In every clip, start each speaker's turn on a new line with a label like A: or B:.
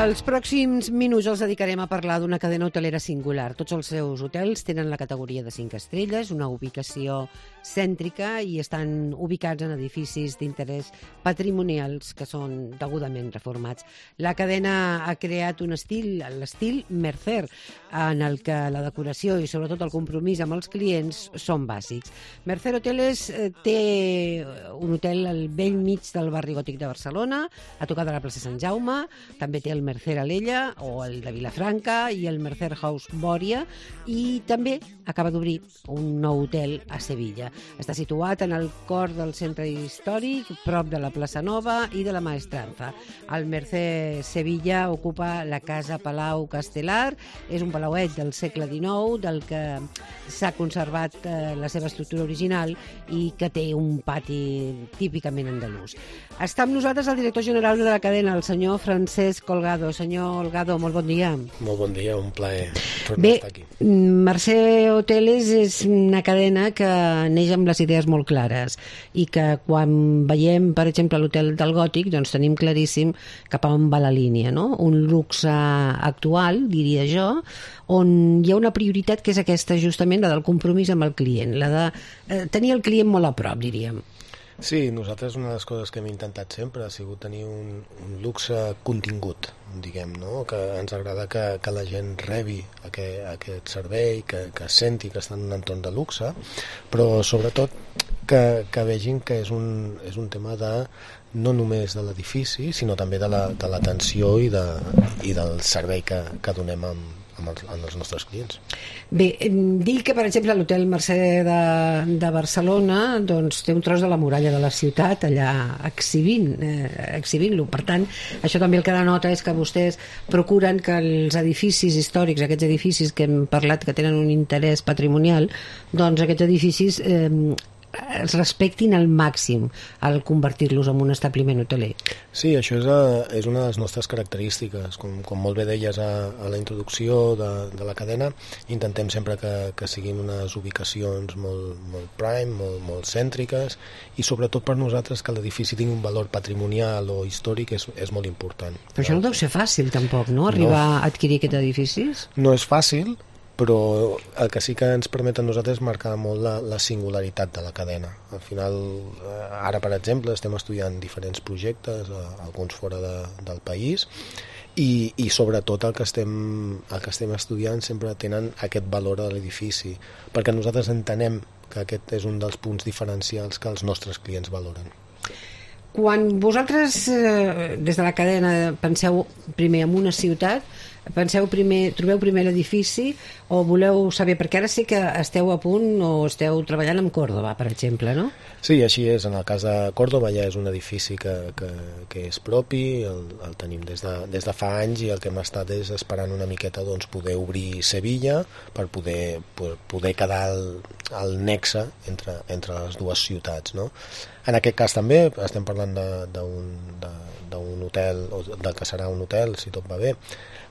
A: Els pròxims minuts els dedicarem a parlar d'una cadena hotelera singular. Tots els seus hotels tenen la categoria de 5 estrelles, una ubicació cèntrica i estan ubicats en edificis d'interès patrimonials que són degudament reformats. La cadena ha creat un estil, l'estil Mercer, en el que la decoració i sobretot el compromís amb els clients són bàsics. Mercer Hoteles té un hotel al bell mig del barri gòtic de Barcelona, a tocar de la plaça Sant Jaume, també té el Mercer Alella o el de Vilafranca i el Mercer House Bòria, i també acaba d'obrir un nou hotel a Sevilla. Està situat en el cor del centre històric, prop de la plaça Nova i de la Maestranza. El Mercer Sevilla ocupa la Casa Palau Castelar, és un palauet del segle XIX, del que s'ha conservat la seva estructura original i que té un pati típicament andalús. Està amb nosaltres el director general de la cadena, el senyor Francesc Holgado. Senyor Holgado, molt bon dia.
B: Molt bon dia, un plaer tornar a estar aquí.
A: Mercer Hoteles és una cadena que neix amb les idees molt clares i que quan veiem, per exemple, l'hotel del Gòtic, doncs tenim claríssim cap a on va la línia, no? Un luxe actual, diria jo, on hi ha una prioritat que és aquesta, justament, la del compromís amb el client, la de tenir el client molt a prop, diríem.
B: Sí, nosaltres una de les coses que hem intentat sempre ha sigut tenir un luxe contingut, diguem, no? Que ens agrada que la gent rebi aquest servei, que senti que està en un entorn de luxe, però sobretot que vegin que és un tema de no només de l'edifici, sinó també de l'atenció i del servei que donem amb els nostres clients.
A: Bé, dir que, per exemple, l'hotel Mercer de Barcelona doncs, té un tros de la muralla de la ciutat allà exhibint-lo. Per tant, això també el que denota és que vostès procuren que els edificis històrics, aquests edificis que hem parlat que tenen un interès patrimonial, doncs aquests edificis es respectin al màxim al convertir-los en un establiment hoteler.
B: Sí, això és una de les nostres característiques. Com molt bé deies a la introducció de la cadena, intentem sempre que siguin unes ubicacions molt prime, molt cèntriques, i sobretot per nosaltres que l'edifici tingui un valor patrimonial o històric és molt important.
A: Però això no deu ser fàcil tampoc, no? Arribar a adquirir aquests edificis?
B: No és fàcil, però el que sí que ens permet a nosaltres és marcar molt la singularitat de la cadena. Al final, ara per exemple, estem estudiant diferents projectes, alguns fora del país, i sobretot el que estem estudiant sempre tenen aquest valor de l'edifici, perquè nosaltres entenem que aquest és un dels punts diferencials que els nostres clients valoren.
A: Quan vosaltres, des de la cadena, penseu primer en una ciutat, trobeu primer l'edifici o voleu saber, perquè ara sé que esteu a punt o esteu treballant amb Còrdova, per exemple, no?
B: Sí, així és. En el cas de Còrdova ja és un edifici que és propi, el tenim des de fa anys, i el que hem estat és esperant una miqueta doncs, poder obrir Sevilla per poder quedar al nexe entre les dues ciutats, no? En aquest cas també estem parlant d'un hotel, o del que serà un hotel, si tot va bé,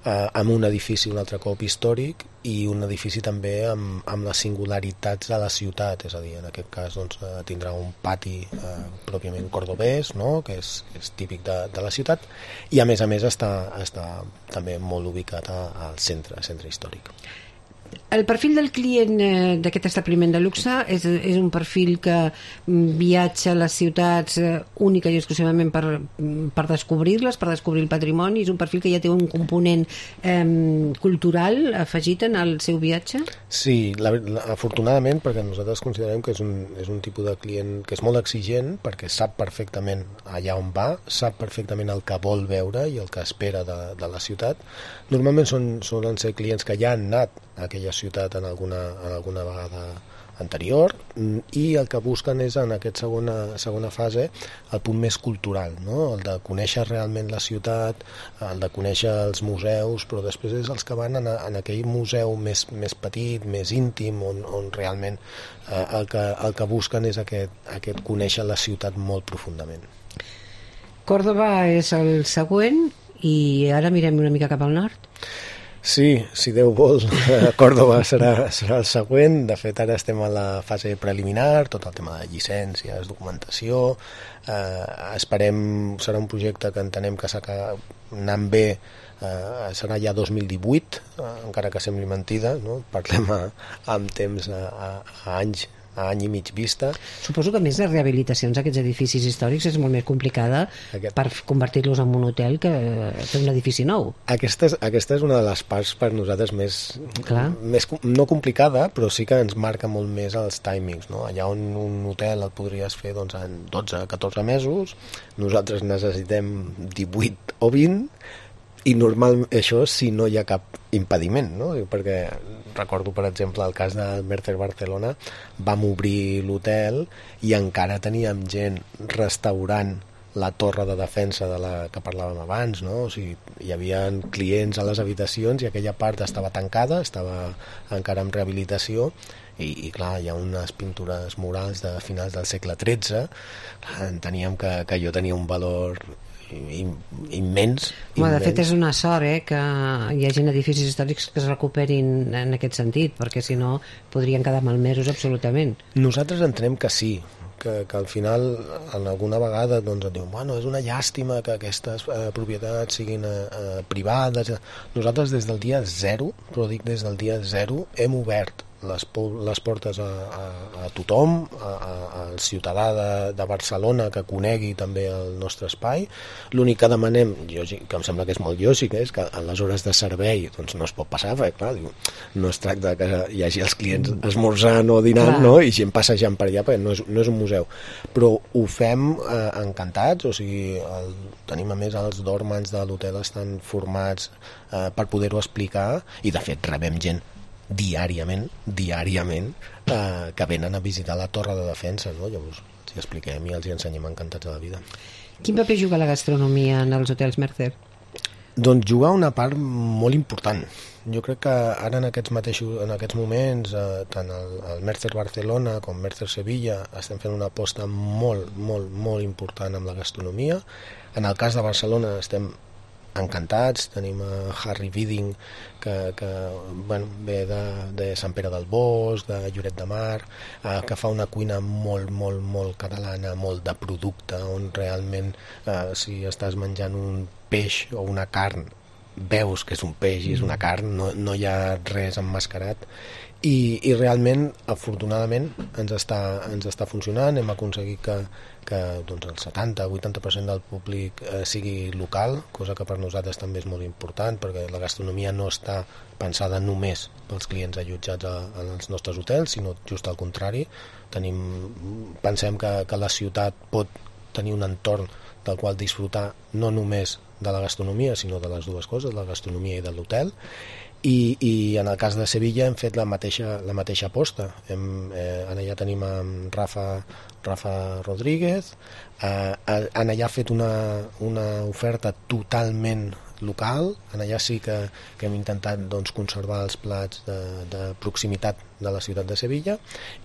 B: amb un edifici un altre cop històric i un edifici també amb les singularitats de la ciutat, és a dir, en aquest cas doncs, tindrà un pati pròpiament cordobès, no? Que és típic de la ciutat, i a més està també molt ubicat al centre històric.
A: El perfil del client d'aquest establiment de luxe és un perfil que viatja a les ciutats única i exclusivament per descobrir-les, per descobrir el patrimoni. És un perfil que ja té un component cultural afegit en el seu viatge?
B: Sí, afortunadament, perquè nosaltres considerem que és un tipus de client que és molt exigent, perquè sap perfectament allà on va, sap perfectament el que vol veure i el que espera de la ciutat. Normalment solen ser clients que ja han anat a aquella ciutat en alguna vegada anterior, i el que busquen és en aquesta segona fase el punt més cultural, no? El de conèixer realment la ciutat, el de conèixer els museus, però després és els que van en aquell museu més petit, més íntim, on realment el que busquen és aquest conèixer la ciutat molt profundament.
A: Còrdova és el següent, i ara mirem una mica cap al nord.
B: Sí, si Déu vol, Còrdova serà el següent. De fet, ara estem a la fase preliminar, tot el tema de llicències, documentació. Esperem, serà un projecte que entenem que anant bé, serà ja 2018, encara que sembli mentida, no? Parlem amb temps a anys, a any i mig vista.
A: Suposo que a més les rehabilitacions d'aquests edificis històrics és molt més complicada per convertir-los en un hotel que fer un edifici nou.
B: Aquesta és una de les parts per nosaltres més no complicada, però sí que ens marca molt més els timings, no? Allà on un hotel el podries fer doncs, en 12-14 mesos, nosaltres necessitem 18 o 20, i normal això si no hi ha cap impediment, no? Perquè recordo, per exemple, el cas del Mercer Barcelona, vam obrir l'hotel i encara teníem gent restaurant la torre de defensa de la que parlàvem abans, no? O sigui, hi havia clients a les habitacions i aquella part estava tancada, estava encara en rehabilitació, i clar, hi ha unes pintures murals de finals del segle XIII. Enteníem que allò tenia un valor immens.
A: De fet, és una sort que hi hagi edificis històrics que es recuperin en aquest sentit, perquè si no podrien quedar malmesos absolutament.
B: Nosaltres entenem que sí, que al final en alguna vegada doncs, et diuen, bueno, és una llàstima que aquestes propietats siguin privades. Nosaltres des del dia zero, però dic des del dia zero, hem obert les portes a tothom, al ciutadà de Barcelona que conegui també el nostre espai. L'únic que demanem, que em sembla que és molt lògic, és que en les hores de servei doncs no es pot passar, perquè clar, no es tracta que hi hagi els clients esmorzant o dinant, no? I gent passejant per allà, perquè no és un museu, però ho fem encantats. O sigui, tenim a més els dòrmans de l'hotel estan formats per poder-ho explicar, i de fet rebem gent diàriament que venen a visitar la torre de defensa, no? Llavors els expliquem i els hi ensenyem encantats de la vida.
A: Quin paper juga la gastronomia en els hotels Mercer?
B: Doncs juga una part molt important. Jo crec que ara en aquests moments, tant el Mercer Barcelona com Mercer Sevilla estem fent una aposta molt, molt, molt important amb la gastronomia. En el cas de Barcelona estem encantats, tenim a Harry Bidding que ve de Sant Pere del Bosc, de Lloret de Mar, que fa una cuina molt, molt, molt catalana, molt de producte, on realment si estàs menjant un peix o una carn veus que és un peix i és una carn, no hi ha res emmascarat, i realment, afortunadament, ens està funcionant. Hem aconseguit que doncs, el 70-80% del públic sigui local, cosa que per nosaltres també és molt important, perquè la gastronomia no està pensada només pels clients allotjats als nostres hotels, sinó just al contrari. Pensem que la ciutat pot tenir un entorn del qual disfrutar no només de la gastronomia, sinó de les dues coses, de la gastronomia i de l'hotel. I en el cas de Sevilla hem fet la mateixa aposta. Allà tenim en Rafa Rodríguez, allà ha fet una oferta totalment local. Allà sí que hem intentat doncs, conservar els plats de proximitat de la ciutat de Sevilla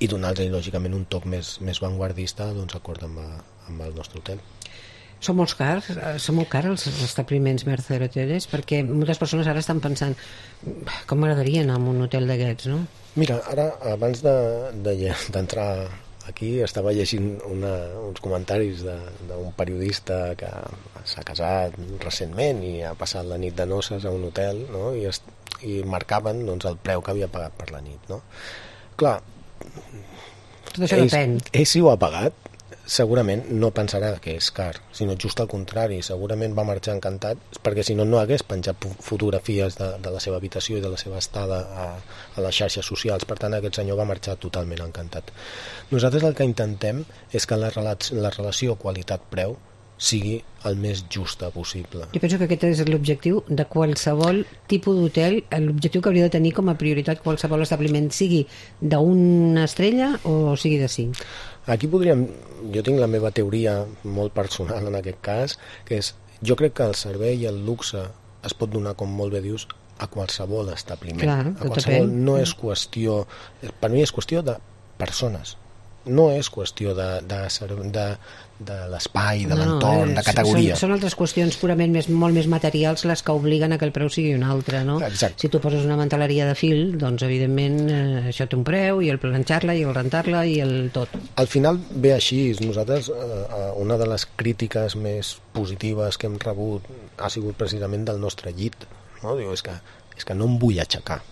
B: i donar-los lògicament un toc més vanguardista, doncs, acord amb el nostre hotel.
A: Són molt cars els establiments Mercer Hoteles, perquè moltes persones ara estan pensant com m'agradaria anar a un hotel d'aquests, no?
B: Mira, ara abans d'entrar aquí estava llegint uns comentaris d'un periodista que s'ha casat recentment i ha passat la nit de noces a un hotel, no? I marcaven doncs, el preu que havia pagat per la nit, no? Clar,
A: tot això depèn.
B: Ell sí ho ha pagat, segurament no pensarà que és car, sinó just al contrari, segurament va marxar encantat, perquè si no hagués penjat fotografies de la seva habitació i de la seva estada a les xarxes socials. Per tant, aquest senyor va marxar totalment encantat. Nosaltres el que intentem és que la relació qualitat-preu sigui el més justa possible.
A: Jo penso que aquest és l'objectiu de qualsevol tipus d'hotel, l'objectiu que hauria de tenir com a prioritat qualsevol establiment, sigui d'una estrella o sigui de 5.
B: Aquí jo tinc la meva teoria molt personal en aquest cas, que és, jo crec que el servei i el luxe es pot donar, com molt bé dius, a qualsevol establiment.
A: Clar,
B: a qualsevol, no és qüestió, per mi és qüestió de persones. no és qüestió de l'espai, de l'entorn, de categoria.
A: Són altres qüestions purament molt més materials les que obliguen a que el preu sigui un altre, no?
B: Exacte.
A: Si tu poses una manteleria de fil, doncs evidentment això té un preu, i el planxar-la, i el rentar-la, i el tot.
B: Al final ve així. Nosaltres, una de les crítiques més positives que hem rebut ha sigut precisament del nostre llit, no? Diu, és que no em vull aixecar.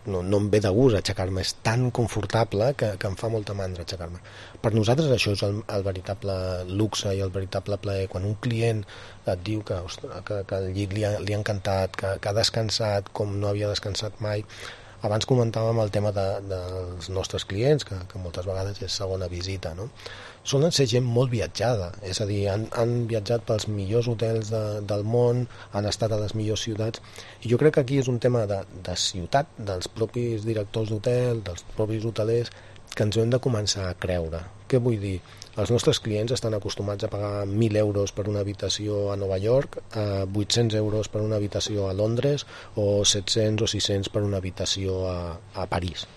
B: No em ve de gust aixecar-me, és tan confortable que em fa molta mandra aixecar-me. Per nosaltres això és el veritable luxe i el veritable plaer. Quan un client et diu que el llit li ha encantat, que ha descansat com no havia descansat mai. Abans comentàvem el tema dels nostres clients, que moltes vegades és segona visita, no? Solen ser gent molt viatjada, és a dir, han viatjat pels millors hotels del món, han estat a les millors ciutats, i jo crec que aquí és un tema de ciutat, dels propis directors d'hotel, dels propis hotelers, que ens ho hem de començar a creure. Què vull dir? Els nostres clients estan acostumats a pagar 1.000 euros per una habitació a Nova York, 800 euros per una habitació a Londres, o 700 o 600 per una habitació a París.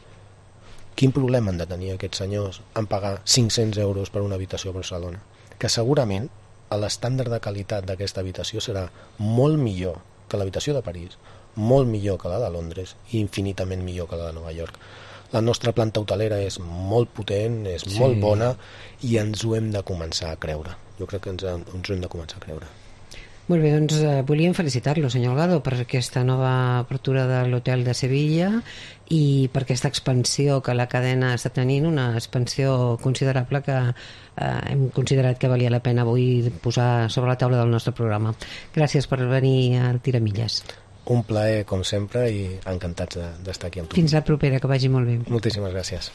B: Quin problema han de tenir aquests senyors en pagar 500 euros per una habitació a Barcelona? Que segurament l'estàndard de qualitat d'aquesta habitació serà molt millor que l'habitació de París, molt millor que la de Londres i infinitament millor que la de Nova York. La nostra planta hotelera és molt potent, és molt bona, i ens ho hem de començar a creure. Jo crec que ens ho hem de començar a creure.
A: Molt bé, doncs volíem felicitar-lo, senyor Holgado, per aquesta nova apertura de l'hotel de Sevilla i per aquesta expansió que la cadena està tenint, una expansió considerable que hem considerat que valia la pena avui posar sobre la taula del nostre programa. Gràcies per venir a Tiramilles.
B: Un plaer, com sempre, i encantats d'estar aquí amb tu.
A: Fins la propera, que vagi molt bé.
B: Moltíssimes gràcies.